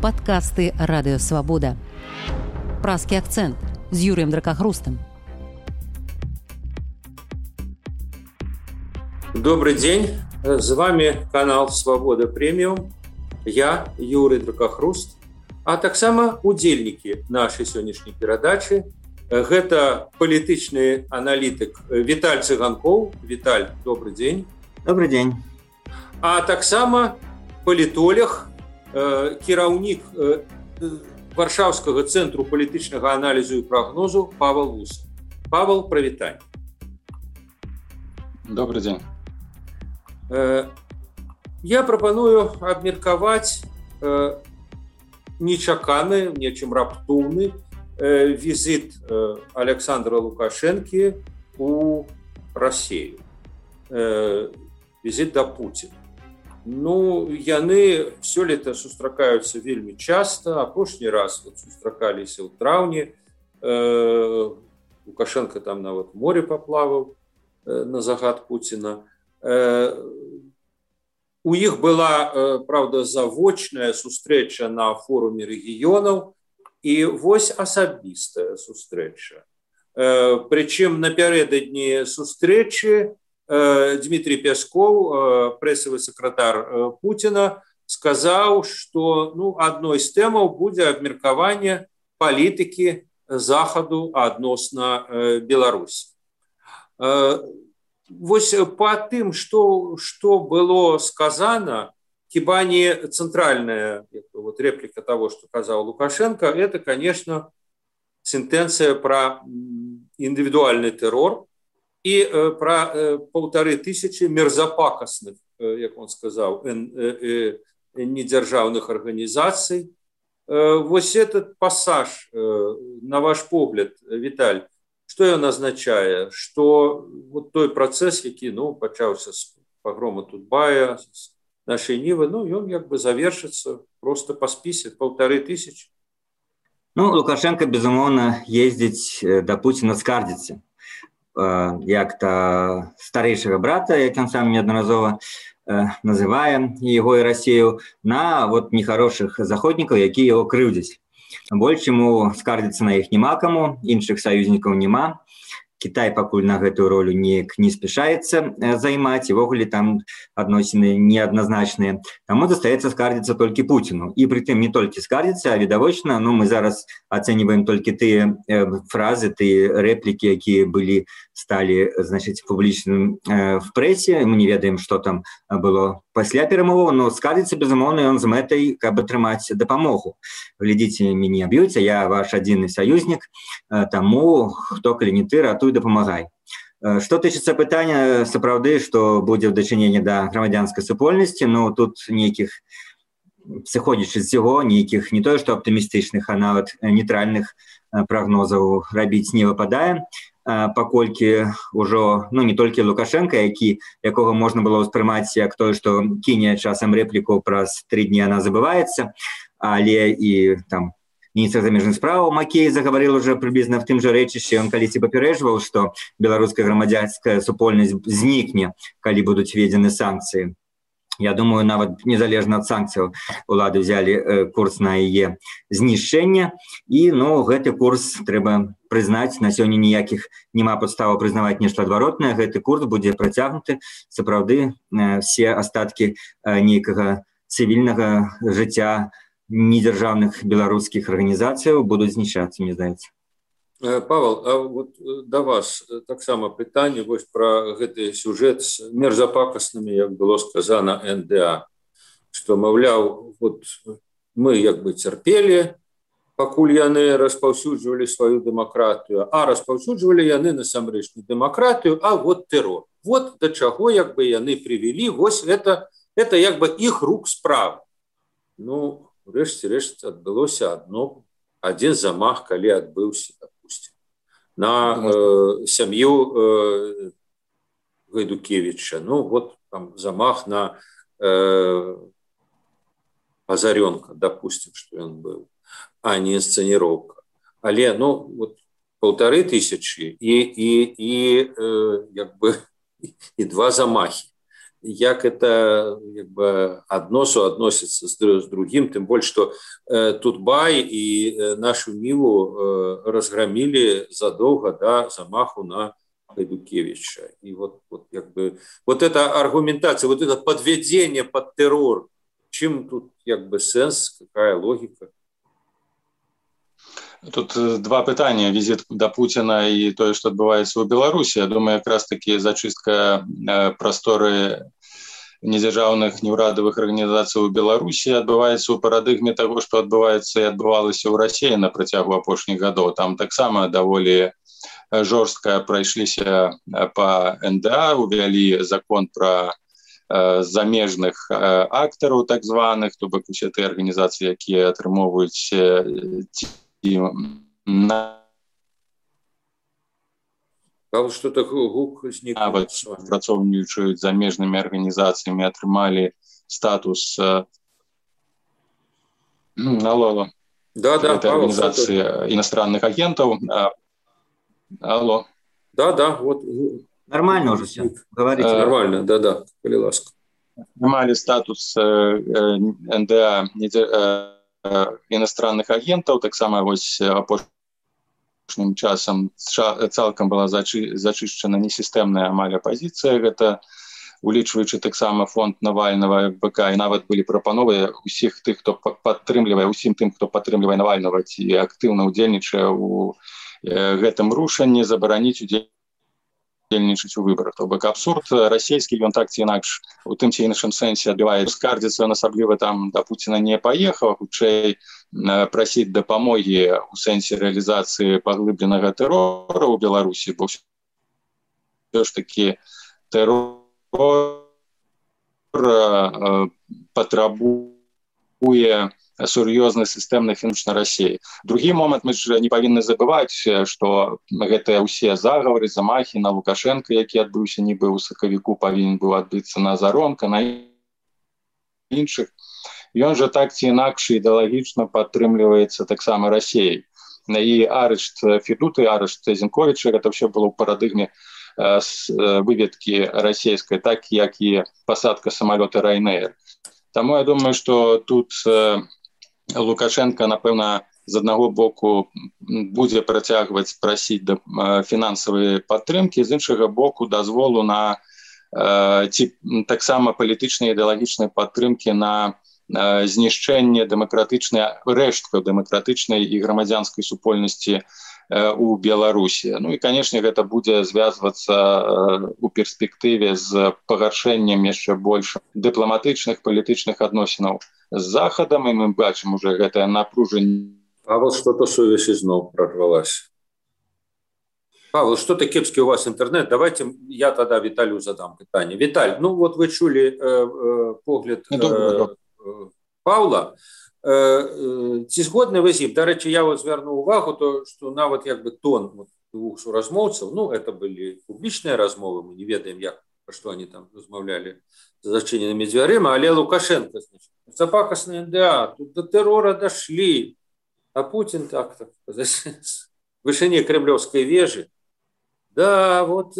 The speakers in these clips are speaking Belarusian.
Падкасты Радыёвабода. Празкі акцэнт з Юрыем Дракахрустам. Добрый день, с вами канал Свобода Премиум, я Юрий Дракахруст, а таксама удзельнікі нашай сённяшняй перадачы. Гэта палітычны аналітык Віталь Цыганкоў. Віталь, добрый день. Добрый день. А таксама палітолог, кіраўнік Варшаўскага цэнтру палітычнага аналізу і прагнозу Павел Вусов. Павел, прывітанне. Добрый день. Я прапаную абмеркаваць нечаканы, нечым раптоўны візіт Александра Лукашэнкі у Расію. Візіт да Пуціна. Яны сёлета сустракаюцца вельмі часта. Апошні раз сустракаліся ў траўні. Лукашенко там нават море паплаваў на загад Пуціна. У іх была, правда, завочная сустрэча на форуме рэгіёнаў і вось асабістая сустрэча. Прычым напярэдадні сустрэчы Дмитрий Пяскоў, прэсавы сакратар Пуціна, сказаў, што адной з тэмаў будзе абмеркаванне палітыкі захаду адносна Беларусі. Вось па тым, што было сказано, хіба не цэнтральная реплика того, што казаў Лукашенко, это, конечно, сентенцыя пра індывідуальны тэрор і пра 1500 мерзапакасных, як он сказаў, недзяржаўных арганізацый. Вось этот пассаж, на ваш погляд, Віталь, што ён азначае? Што вот той працэс, які пачаўся з пагрому Тутбая, з нашай Нівы, ён як бы завершыцца просто па спісе 1500. Лукашенко, безумоўна, ездзіць да Пуціна скардзіцца. Як-то старэйшага брата, як ён сам неаднаразова называе яго і Расію, на нехарошых заходнікаў, якія яго крыўдзяць. Больш яму скардзіцца на іх няма каму, іншых саюзнікаў няма. Кітай пакуль на гэтую ролю неяк не спяшаецца займаць, і ввогуле там адносіны неадназначныя. Таму застаецца скардзіцца толькі Пуціну. І прытым не толькі скардзіцца, а відавочна, мы зараз ацэньваем толькі тыя фразы, тыя рэплікі, якія сталі публічным в прэсе. Мы не ведаем, што там было пасля перамоваў, но скардзіцца, безумоўна, ён з мэтай, каб атрымаць дапамогу. Глядзіце, мяне б'юць, я ваш адзіны саюзнік, таму хто, калі не ты, ратуй, дапамагай. Што тычыцца пытання, сапраўды, што будзе ў дачыненні да грамадзянскай супольнасці, тут нейкіх, сыходзячы з яго, нейкіх не тое, што аптымістычных, а нават нейтральных прагнозаў рабіць не выпадае, паколькі ўжо, не толькі Лукашенко, якога можна было ўспрымаць як той, што кіне часам рэпліку праз 3 дні яна забываецца, але і там міністр замежных справаў Макей загаварыў уже прыблізна в тым жа рэчышчы. Ён калісьці папярэджваў, што беларуская грамадзянская супольнасць знікне, калі будуць введзены санкцыі. Я думаю, нават незалежна ад санкцыяў улады ўзялі курс на яе знішчэнне. І, гэты курс трэба прызнаць, на сёння ніякіх няма падставаў прызнаваць нешта адваротнае. Гэты курс будзе працягнуты. Сапраўды, все астаткі нейкага цывільнага жыцця недзяржаўных беларускіх арганізацыяў будуць знішчацца, мне здаецца. Павел, а да вас таксама пытанне пра гэты сюжэт з мерзапакаснымі, як было сказана, НДА, што, маўляў, мы як бы цярпелі, пакуль яны распаўсюджвалі сваю дэмакратыю, а распаўсюджвалі яны насамрэч не дэмакратыю, а тэрор. Да чаго як бы яны прывялі, это як бы іх рук справа. Рэшце адбылося адзін замах, калі адбыўся, допустим, на сям'ю Гайдукевіча. Там замах на Азарёнка, допустим, што ён быў, а не інсцэніроўка. Але, 1500 і 2 замахи. як это як бы одно суадносіцца з другим, тым больш што Тутбай і нашу Ніву разгромілі задоўга да замаху на Гайдукевича. И вот как бы вот эта аргументация, вот это подведение под террор, чем тут как бы сенс, какая логика? Тут два пытання: візит до Путіна і тое, што адбываецца ў Беларусі. Я думаю, якраз таки зачыстка прасторы недзяржаўных неўрадавых арганізацый у Беларусі адбываецца ў парадыгме таго, што адбываецца і адбывалася ў Расіі на працягу апошніх гадоў. Там таксама даволі жорстка прайшліся па НДА, увялі закон пра замежных актараў, так званых, то бок усе тыя арганізацыі, якія атрымоўваюць что-то гук працоўнічаюць замежнымі арганізацыямі, атрымалі статус организации иностранных агентов. Алло. Да, вот. Нормально уже все. Говорите. Нормально, да, коли ласка. Атрымалі статус НДА иностранных агентов, таксама вось апошнім часам цалкам была зачышчана несістэмная амаль апазіцыя, гэта улічваючы таксама фонд Навальнага, ФБК, і нават былі прапановы усім тым, хто падтрымлівае Навальнага ці актыўна ўдзельнічае ў гэтым рушанні, забараніць удзельнічаць у выбарах. То бок абсурд расійскі, ён так ці інакш у тым ці іншым сэнсе адбівае. Скардзіцца, асабліва там да Пуціна не паехаў, хутчэй прасіць дапамогі ў сэнсе рэалізацыі паглыбленага тэрора ў Беларусі, бо ўсё ж такі тэрор патрабуе сур'ёзны сістэмны фінансавы Расіі. Другі момант, мы ж не павінны забываць, што гэтыя ўсе загавары, замахі на Лукашенка, які адбыўся нібы ў сакавіку, павінен быў адбыцца на Заронка, на іншых. Ён жа так ці інакш ідэалагічна падтрымліваецца таксама Расіяй. І арышт Федуты, арышт Зінковіча, гэта ўсё было ў парадыгме выведкі расійскай, так як і пасадка самалёта Ryanair. Таму я думаю, што тут Лукашенко, напэўна, з аднаго боку будзе працягваць прасіць фінансавай падтрымкі, з іншага боку дазволу на ці таксама палітычнай ідэалагічнай падтрымкі на знішчэнне рэшткаў дэмакратычнай і грамадзянскай супольнасці у Беларусі. Ну і, канешне, гэта будзе звязвацца у перспектыве з пагаршэннем яшчэ больш дыпламатычных палітычных адносінаў з Захадам, і мы бачым уже гэтае напружанне. Павел, что-то сувязь изноў прорвалась. Павел, что-то кепский у вас интернет. Давайте я тогда Виталию задам питание. Виталь, ну вот вы чули погляд Павла. Ці згодны вы з ім? Дарэчы, я вот звярнуў увагу, то, што нават як бы тон двух суразмоўцаў, ну, это былі публічныя размовы, мы не ведаем, про што они там размаўлялі за зачыненымі дзвярыма, але Лукашенко, значит, запакасны НДА, тут до террора дошли, а Путин так-то, с вышине кремлевской вежи, да, вот,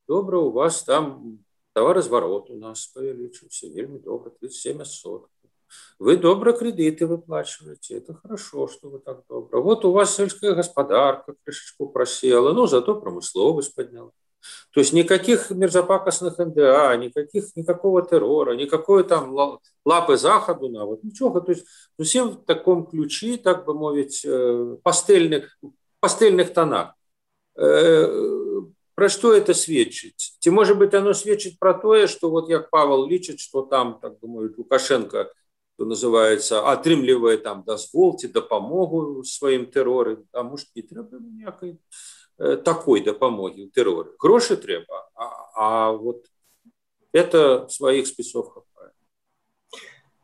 добра, у вас там товарозварот у нас павялічыўся, вельмі добра, 37%. Вы добра кредиты выплачиваете, это хорошо, что вы так добро. Вот у вас сельская господарка крышечку просела, но зато промысловость подняла. То есть никаких мерзопакостных НДА, никакого террора, никакой там лапы Заходу, вот ничего. То есть всем в таком ключе, так бы мовить, пастельных тонах. Про что это сведчит? Ці, может быть, оно сведчит про то, что вот як Павел лічыць, что там, так бы мовить, Лукашенко, что называется, атрымлівае там дазвол ці дапамогу сваім тэроры, а может не трэба ніякай такой дапамогі ў тэроры. Грошы трэба, а вот это сваіх спісов хапае.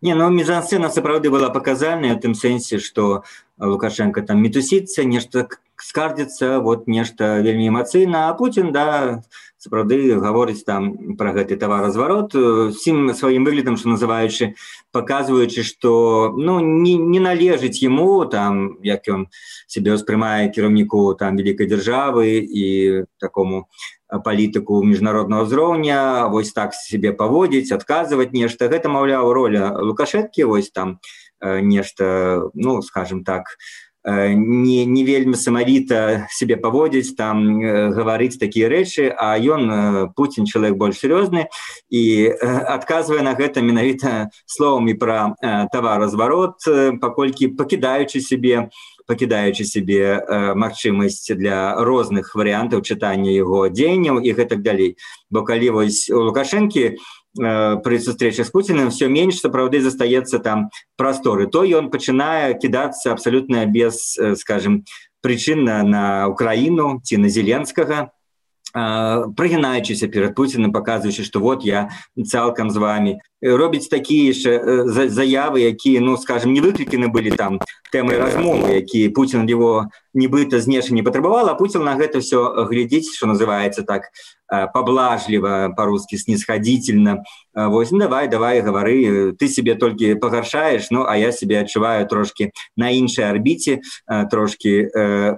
Не, ну мізансцэна сапраўды была паказальная ў тым сэнсе, што Лукашенко там мітусіцца, нешта скардзіцца, вот нешта вельмі эмацыйна, а Путін, да, сапраўды гаворыць там пра гэты таваразварот, усім сваім выглядам, што называючы, паказваючы, што ну, не належыць яму, там, як ён сябе ўспрымае кіраўніку там вялікай дзяржавы і такому палітыку міжнароднага ўзроўня, вось так себе паводзіць, адказваць нешта. Гэта, маўляў, роля Лукашэнкі, вось там нешта, ну, скажем так, не вельмі самавіта себе паводзіць, там гаварыць такія рэчы, а ён, Пуцін, чалавек больш сур'ёзны, і адказвае на гэта менавіта словамі пра таваразварот, паколькі пакідаючы себе магчымасць для розных варыянтаў чытання яго дзеянняў і гэтак далей. Бо калі вось у Лукашэнкі пры сустрэчах з Пуціным все менш сапраўды застаецца там прасторы, то ён пачынае кідацца абсалютна без, скажем, прычынна на Украіну ці на Зеленскага, прыгінаючыся перад Пуціным, паказваючы, што вот я цалкам з вамі. Робіць такія заявы, якія, ну, скажем, не выкліканы былі там тэмай размовы, якія Пуцін яго нібыта знешне не патрабавал, а Пуцін на гэта все глядзіць, што называецца так поблажліва, по-русски снисходительно. Вось, ну, давай, гавары, ты себе толькі пагаршаеш, ну, а я себе адчуваю трошки на іншай арбіце, трошки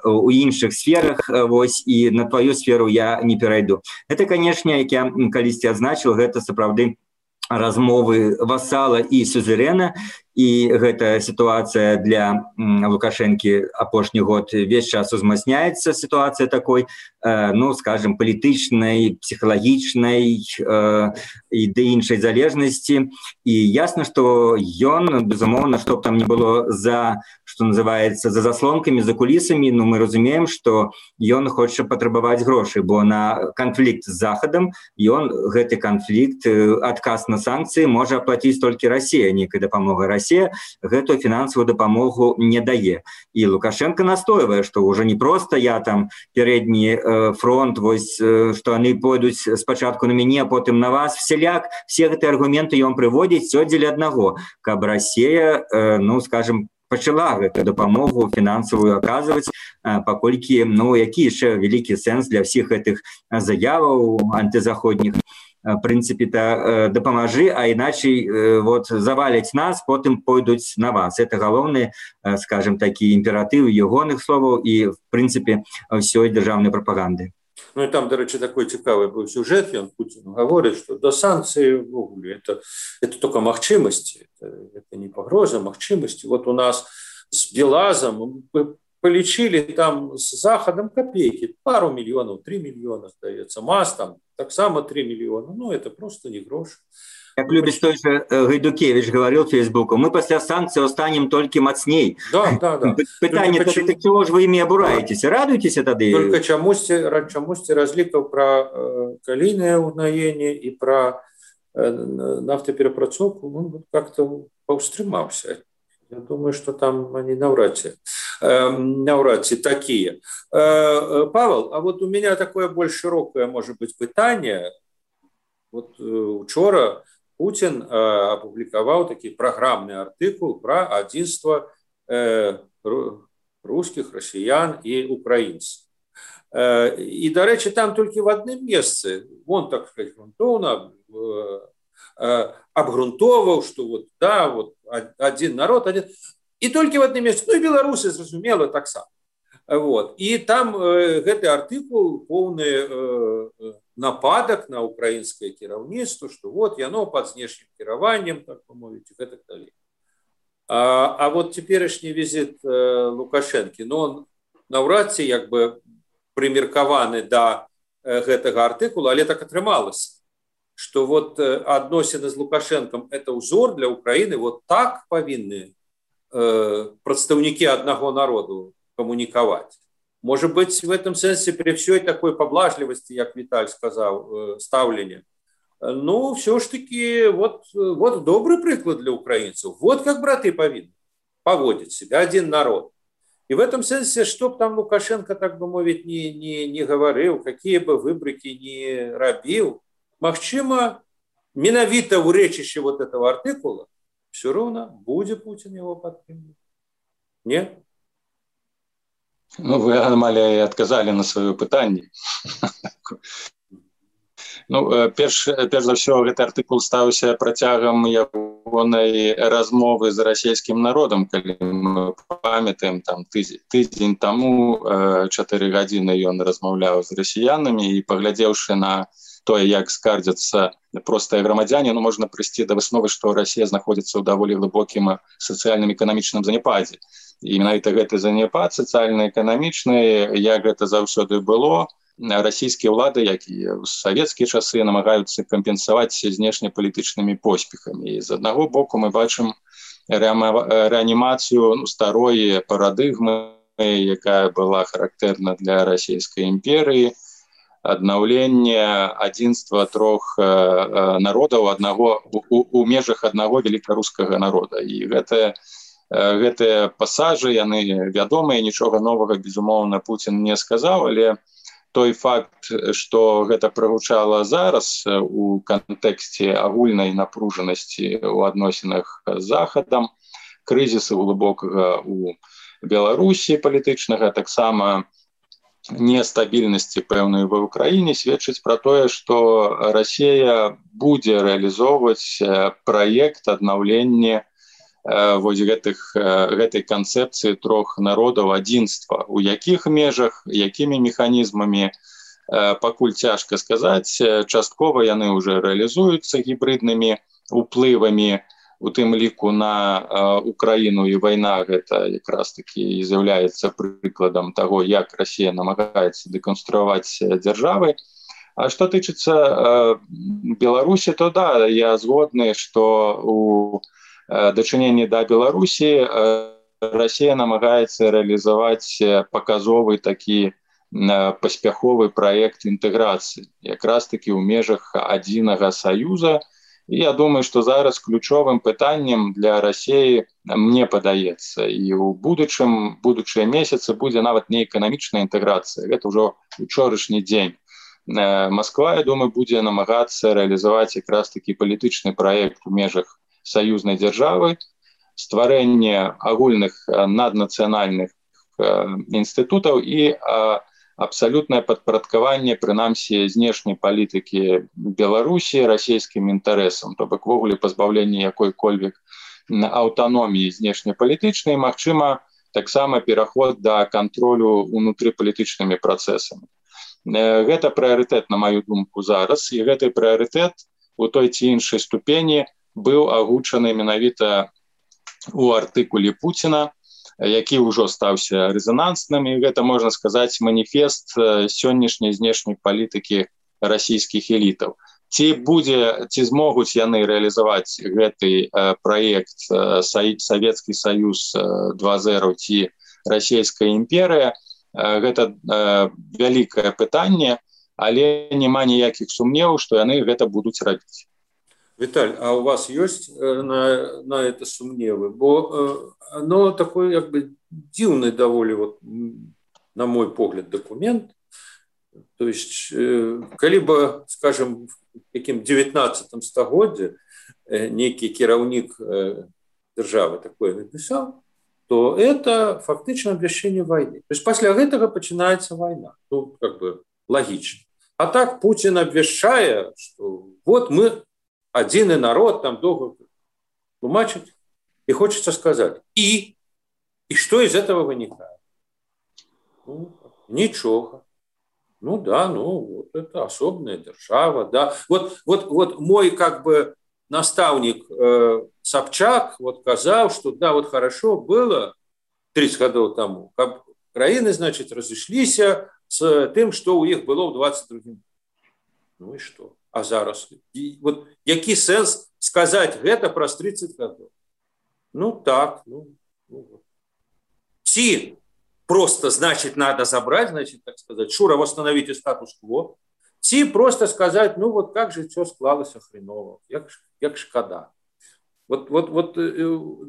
у іншых сферах, вось, і на твою сферу я не перайду. Это, конечно, як я калісьці адзначыў, гэта сапраўды размовы васала і сюзерэна, і гэта сітуацыя для Лукашэнкі апошні год весь час узмацняецца, сітуацыя такой, ну, скажем, палітычнай, псіхалагічнай і да іншай залежнасці. І ясна, што ён, безумоўна, што б там не было за, што называецца, за заслонкамі, за кулісамі, ну, мы разумеем, што ён хоча патрабаваць грошы, бо на канфлікт з Захадам ён гэты канфлікт, адказ на санкцыі можа аплаціць толькі Расія, нейкая дапамога. Расія гэтую фінансавую дапамогу не дае. І Лукашенко настойвае, што ўжо не проста я там передні фронт, вось, што яны пойдуць спачатку на мяне, а потым на вас, всяляк, все гэтыя аргументы ён прыводзіць все дзеля аднаго, каб Расія, ну, скажем, пачала гэту дапамогу фінансавую аказваць, паколькі, ну, які яшчэ вялікі сэнс для ўсіх гэтых заяваў антызаходніх. В принципе, дапамажы, а иначе вот заваляць нас, потым пойдуць на вас. Это галоўны, скажем, такі імператыў ягоных словаў і, в принципе, ўсёй дзяржаўнай прапаганды. Ну и там, до речі, такой цікавый быў сюжет, ён Путин говорит, что до санкций это только магчымасці, это не пагроза, магчымасці. Вот у нас с Белазом полечили там с Заходом копейки, пару миллионов, 3 миллиона, сдается, МАЗ там так само 3 миллиона, ну это просто не грош. Как любит той же Гайдукевич говорил в Фейсбуку, мы после санкций станем только мацней. Да. Питание, так чего же вы ими обураетесь? Радуйтесь тады? Только чамусьці разлікаў про калійнае ўгнаенне и про нафтаперапрацоўку, ну, как-то паўстрымаўся. Я думаю, что там они навряд ли такие. Павел, а вот у меня такое больше широкое, может быть, пытание. Вот учора Путин опубликовал такие программный артикул про единство русских, россиян и украинцев. И, до речи, там только в одном месте, он, так сказать, грунтовно обгрунтовал, что вот, да, вот один народ, один... И только в одном месте, ну и белорусы, зразумела, так само. Вот. И там гэты артыкул полный нападок на украинское кіраўніцтва, что вот яно под знешнім кіраваннем, так помовить, и так далее. А вот теперешний визит Лукашэнкі, ну он наўрад ці як бы прымеркаваны да гэтага артыкула, але так атрымалася, что вот адносіны з Лукашэнкам это узор для Украины, вот так павінны прадстаўнікі аднаго народу коммуниковать. Может быть, в этом сенсе при всей такой поблажливости, как Виталь сказал, ставление, ну, все ж таки, вот добрый приклад для украинцев. Вот как браты повинны поводить себя, один народ. И в этом сенсе, чтоб там Лукашенко, так бы мовить, не говорил, какие бы выбрыки не робил, магчыма, менавіта в речище вот этого артикула, все равно будет Путин его подтримывать. Нет? Ну, вы, Аномалія, адказалі на сваё пытанне. Ну, перш за ўсё, гэты артыкул стаўся працягам яго ягонай размовы з расійскім народам, калі мы памятаем, там тыдзень таму 4 гадзіны ён размаўляў з расіянамі, і паглядзеўшы на тое, як скардзяцца простыя грамадзяне, можна прыйсці да высновы, што Расія знаходзіцца ў даволі глыбокім сацыяльным эканамічным заняпадзе. І менавіта гэты заняпад сацыяльна-эканамічны, як гэта заўсёды было, расійскія ўлады, як і ў савецкія часы, намагаюцца кампенсаваць знешнепалітычнымі поспехамі. І з аднаго боку мы бачым рэанімацыю старой парадыгмы, якая была характэрна для расійскай імперыі, аднаўленне адзінства трох народаў у межах аднаго великарускага народа. І гэтыя пасажы, яны вядомыя, нічога новага, безумоўна, Пуцін не сказаў, але той факт, што гэта прагучала зараз у кантэксце агульнай напружанасці ў адносінах з Захадам, крызісу глыбокага у Беларусі палітычнага, таксама нестабільнасці пэўнай ва ўкраіне, сведчыць пра тое, што Расія будзе рэалізоўваць праект аднаўлення гэтай канцэпцыі трох народаў адзінства. У якіх межах, якімі механізмамі, пакуль цяжка сказаць. Часткова яны ўжо рэалізуюцца гібрыднымі уплывамі, у тым ліку на Украіну, і вайна гэта якраз такі з'яўляецца прыкладам таго, як Расія намагаецца дэканструяваць дзяржавы. А што тычыцца Беларусі, то да, я згодны, што у дачыненні да Беларусі Расія намагаецца рэалізаваць паказовы такі паспяховы праект інтэграцыі, якраз такі ў межах адзінага саюза. І я думаю, што зараз ключовым пытаннем для Расіі, мне падаецца, і ў будучыя месяцы будзе нават не эканамічная інтэграцыя, гэта ўжо учорашні дзень. Масква, я думаю, будзе намагацца рэалізаваць якраз такі палітычны праект у межах саюзнай дзяржавы, стварэнне агульных наднацыянальных інстытутаў і абсалютнае падпарадкаванне, прынамсі, знешняй палітыкі Беларусі расійскім інтарэсам, то бок ввогуле пазбаўленне якой-кольвек аўтаноміі знешнепалітычнай, магчыма, таксама пераход да кантролю унутрыпалітычнымі працэсамі. Гэта прыярытэт, на маю думку, зараз, і гэты прыярытэт у той ці іншай ступені быў агучаны менавіта у артыкуле Пуціна, які ўжо стаўся рэзанансным, і гэта, можна сказаць, маніфест сённяшняй знешняй палітыкі расійскіх элітаў. Ці змогуць яны рэалізаваць гэты праект Савецкі Саюз 2.0 ці Расійская імперыя, гэта вялікае пытанне, але няма ніякіх сумневаў, што яны гэта будуць рабіць. Виталь, а у вас есть на это сумневы? Бо оно такой, как бы, дивный довольно, вот, на мой погляд, документ. То есть, коли бы, скажем, в каким 19 стагодзе некий кіраўнік державы такое написал, то это фактично обвящение войны. То есть, после этого начинается война. Ну, как бы, логично. А так Путин обвящает, что вот мы один и народ, там долго тлумачить, и хочется сказать, и что из этого вынікает? Ну, ничего. Ну да, вот это особенная держава, да. Вот мой, как бы, наставник Собчак вот сказал, что да, вот хорошо было 30 годов тому, как краины, значит, разошлись с тем, что у них было в 22-м. Ну и что? А зараз? Вот який сенс сказать гэта праз 30 гадоў? Ну так, Ці просто, значит, надо забрать, значит, так сказать, Шура, восстановите статус-кво, ці просто сказать, ну вот как же все склалось хреново, як шкода. Вот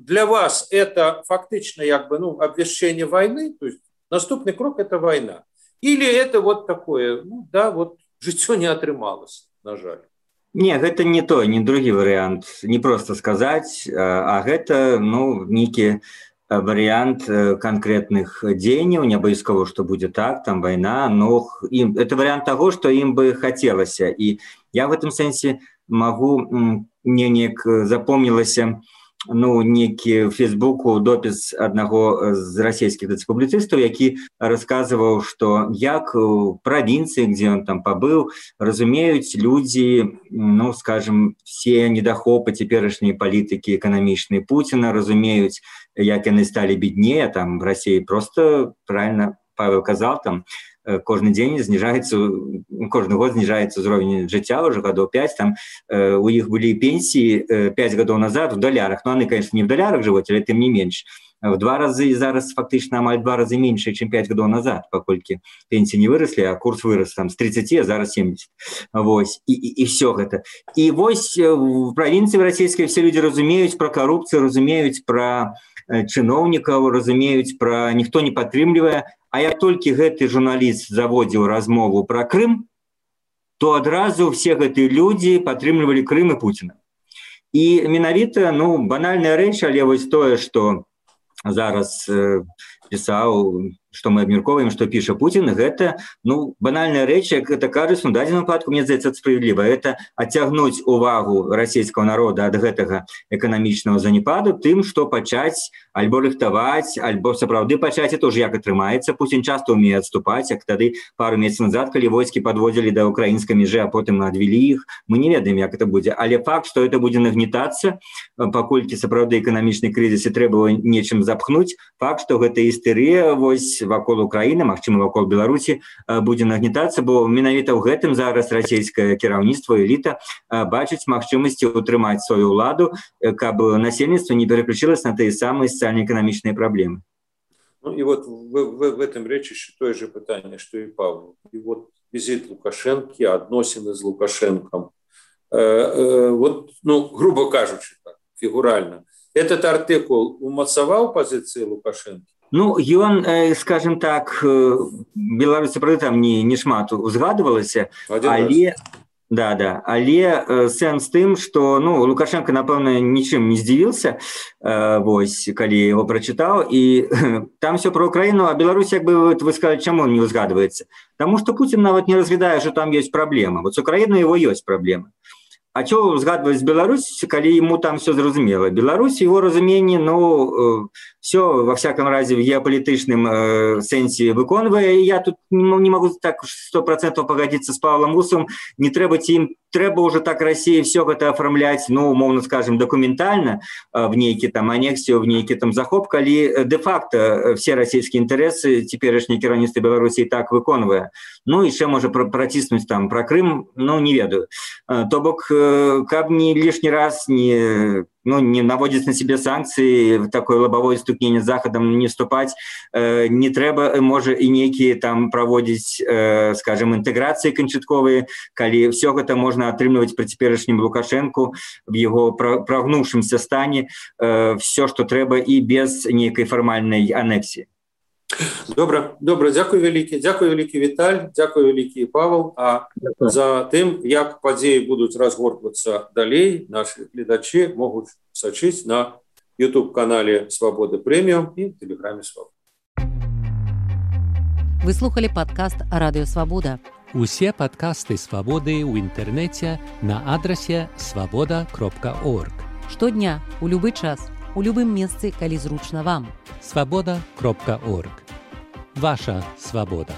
для вас это фактично, как бы, обвящение войны, то есть наступный крок это война. Или это вот такое, ну да, вот жыццё не атрымалось. На жаль. Не, гэта не той, не другі варыянт, не просто сказаць, а гэта, нейкі варыянт канкрэтных дзеянняў, не абавязкова, што будзе так, там вайна, но это варыянт таго, што ім бы хацелася. І я в гэтым сэнсе мне неяк запомнілася некі в Фейсбуку допіс аднаго з расійскіх публіцыстаў, які расказваў, што як у правінцыі, дзе ён там пабыў, разумеюць людзі, скажем, все недахопы цяперашняй палітыкі эканамічнай Пуціна, разумеюць, як яны сталі беднее, там в Расіі просто, правильно Павел казаў, там кожны год зніжаецца ўзровень жыцця ўжо гадоў 5, там у іх былі пенсіі 5 гадоў назад в далярах, яны, конечно, не в далярах жывуць, але тым не менш, в 2 разы, і зараз фактычна амаль 2 разы менш, чым 5 гадоў назад, паколькі пенсіі не выраслі, а курс вырас там з 30, а зараз 70. Вось, і все гэта. І вось в правінцыі расійскай все людзі разумеюць пра карупцыю, разумеюць пра чыноўнікаў, разумеюць пра ніхто не падтрымлівае. А як толькі гэты журналіст заводзіў размову пра Крым, то адразу все гэтыя людзі падтрымлівалі Крым і Пуціна. І менавіта, банальная рэч, але вось тое, што зараз пісаў, што мы абмяркоўваем, што піша Пуцін, гэта, банальная рэч, як гэта кажуць, у дадзеным выпадку, мне здаецца, справядліва, гэта адцягнуць увагу расійскага народа ад гэтага эканамічнага занепаду тым, што пачаць альбо рыхтаваць, альбо сапраўды пачаць, это ўжо як атрымаецца. Пуцін часта умее адступаць, як тады пару месяцаў назад, калі войскі падводзілі да украінскай мяжы, а потым адвялі іх, мы не ведаем, як это будзе. Але факт, што это будзе нагнетацца, паколькі сапраўды эканамічны крызіс і трэба нечым запхнуць, факт, што гэта істэрыя вось вакол Украіны, магчыма, вакол Беларусі будзе нагнетацца, бо менавіта ў гэтым зараз расійскае кіраўніцтва, эліта бачыць магчымасці утрымаць сваю ўладу, каб насельніцтва не переключилось на тыя самыя социально-экономичные проблемы. И вот в этом речь еще то же питание, что и Павел. И вот визит Лукашенко, относины с Лукашенком, грубо кажучи, так, фигурально, этот артикул умацаваў позиции Лукашенко? Ён, скажем так, Беларусь, правда, там не шмат узгадывалася, але... але сэнс тым, што Лукашенко, напэўна, нічым не здзівіўся, вось, калі яго прачытаў, і там все про Украіну, а Беларусь, як бы вы сказалі, чаму не узгадваецца? Таму што Пуцін нават не разглядае, што там ёсць праблема. Вот з Украінай его ёсць праблема. А чого згадваць Беларусь, калі ему там все зразумела? Беларусь, его разуменне, все, во всяком разе, в геополітычным сэнсе выконвае. І я тут не могу так 100% погодиться с Павлом Усовым. Не трэба уже так России все гэта оформлять, умовно скажем, документально, в нейкі там анексію, в нейкі там захоп, калі де-факто все российские интересы теперешнее кіраўніцтва Беларусі так выконвае. Еще можа праціснуць там про Крым, не ведаю. То бок, каб не лишний раз не наводить на себе санкции, в такое лобовое стукнение с Заходом не вступать, не трэба, можа, и некие там проводить, скажем, интеграции канчатковые, калі все гэта можно атрымліваць при цяперашнім Лукашенку в его прогнувшемся стане, все, что трэба, и без некой формальной анексии. Добра, дзякуй вялікі Віталь, дзякуй вялікі Павел. А за тым, як падзеі будуць разгортвацца далей, нашы гледачы могуць сачыць на YouTube-канале Свабода Прэміум і Тэлеграме Свабода. Вы слухали падкаст «Радыё Свабода». Усе падкасты Свабоды ў інтэрнэце на адрасе свабода.орг. Штодня, у любы час, у любым месцы, калі зручна вам. Свабода.орг. Ваша свабода.